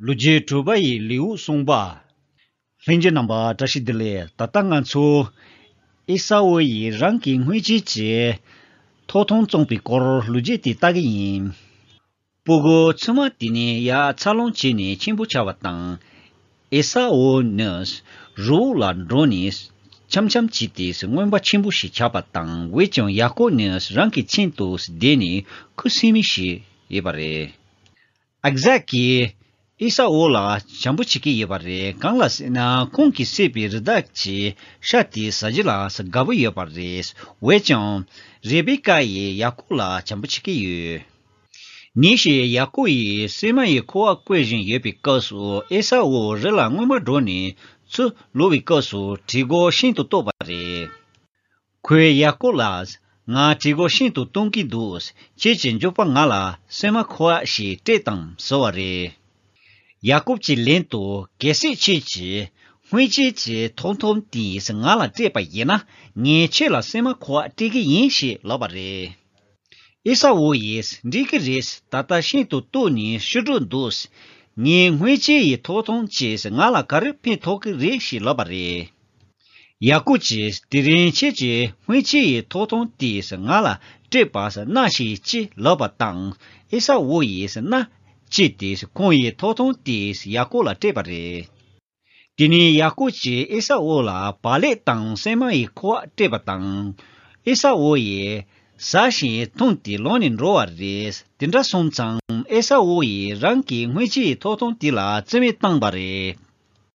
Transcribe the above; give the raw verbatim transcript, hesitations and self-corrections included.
ལོ་རྒྱུས་དྲུག་པ་ཡི་ལེའུ་གསུམ་པ། ལྷན་རྒྱས་རྣམ་པ་བཀྲ་ཤིས་བདེ་ལེགས། ད་ལྟ་ང་ཚོ་ཨེ་ས་འུ་ཡིས་རང་གི་སྔོན་ཆད་ཀྱི་ཐོབ་ཐང་བཙོངས་པའི་སྐོར་ལོ་རྒྱུས་དེ་ལྟ་གི་ཡིན། སྤུ་གུ་ཆུང་མ་དེ་ནི་ཡར་འཚར་ལོངས་བྱས་ནས་ཆེན་པོ་ཆགས་པ་དང་། ཨེ་ས་འུ་ནི་རི་བོ་ལ་འགྲོ་ནས་འཆམ་འཆམ་བྱས་ཏེ་རྔོན་པ་ཆེན་པོ་ཞིག་ཆགས་པ་དང་། འོན་ཀྱང་ཡ་ཀོབ་ནི་རང་གི་ཁྱིམ་དུ་བསྡད་ནས་ཁུ་སིམ་མེ་ཞིག་ཡོད་པ་རེད། ཨི་ཟག་གིས་ཨེ་ས་འུ་ལ་བྱམས་པོ་བྱེད་ཀྱི་ཡོད་པ་རེད། གང་ལ་ཟེར་ན་ཁོང་གིས་བསད་པའི་རི་དྭགས་ཀྱི་ཤ་དེ་ཟ་རྒྱུ་ལ་དགའ་པོ་ཡོད་པ་རེད། འོན་ཀྱང་རེ་བེ་ཀ་ཡིས་ཡ་ཀོབ་ལ་བྱམས་པོ་བྱེད་ཀྱི་ཡོད། ཉིན་ཞིག་ཡ་ཀོབ་ཡིས་སྲན་མ་ཡི་ཁུ་བ་བརྐོ་བཞིན་ཡོད་པའི་སྐབས་སུ། ཨེ་ས་འུ་རི་ལ་རྔོན་པར་འགྲོ་ནས་ཚུར་ལོག་པའི་སྐབས་སུ་གྲི་མགོ་ཤིན་ཏུ་བཏོག་པ་རེད། ཁོས་ཡ་ཀོབ་ལ། ང་གྲི་མགོ་ཤིན་ཏུ་གཏོང་གི་འདུག་ཁྱེད་ཀྱི་མགྱོགས་པོ་ང་ལ་སྲན་མ་ཁུ་བ་ཞིག་སྤྲད་དང་ཟེར་བ་རེད། ཡ་ཀོབ་ཀྱིས་ལན་དུ། གལ་སྲིད་ཁྱེད་ཀྱིས་སྔོན་ཆད་ཀྱི་ཐོབ་ཐང་དེ་ང་ལ་སྤྲད་པ་ཡིན་ན། ངས་ཁྱེད་ལ་སྲན་མ་ཁུ་བ་སྤྲད་ཀྱི་ཡིན་ཞེས་ལབ་པ་རེད། ཨེ་ས་འུ་ཡིས། འགྲིག་གི་རེད། ད་ལྟ་ཤིན་ཏུ་སྟུག་ནས་ཤི་འགྲོ་འདུག་ངའི་སྔོན་ཆད་ཡི་ཐོབ་ཐང་ཅིག་ང་ལ་ག་རེ་ཕན་ཐོགས་ཀྱི་རེད་ཞེས་ལབ་པ་རེད། ཡ་ཀོབ་ཀྱིས། དེ་རིང་ཁྱེད་ཀྱིས་སྔོན་ཆད་ཡི་ཐོབ་ཐང་དེ་ང་ལ་སྤྲད་པ་གནང་ཞིག་ཅེས་ལབ་པ་དང་། ཨེ་ས་འུ་ཡིས་གནང་ཅེས་ཏེ་ཁོང་ཡི་ཐོབ་ཐང་དེ་ཡ་ཀོབ་ལ་སྤྲད་པ་རེད། དེ་ནས་ཡ་ཀོབ་ཀྱིས་ཨེ་ས་འུ་ལ་བག་ལེབ་དང་སྲན་མ་ཡི་ཁུ་བ་སྤྲད་པ་དང་། ཨེ་ས་འུ་ཡིས་ཟ་ཞིང་འཐུང་སྟེ་ལོག་ནས་འགྲོ་བ་རེད། དེ་འདྲ་སོང་ཙང་ཨེ་ས་འུ་ཡིས་རང་གི་སྔོན་ཆད་ཡི་ཐོབ་ཐང་དེ་ལ་རྩིས་མེད་བཏང་པ་རེད།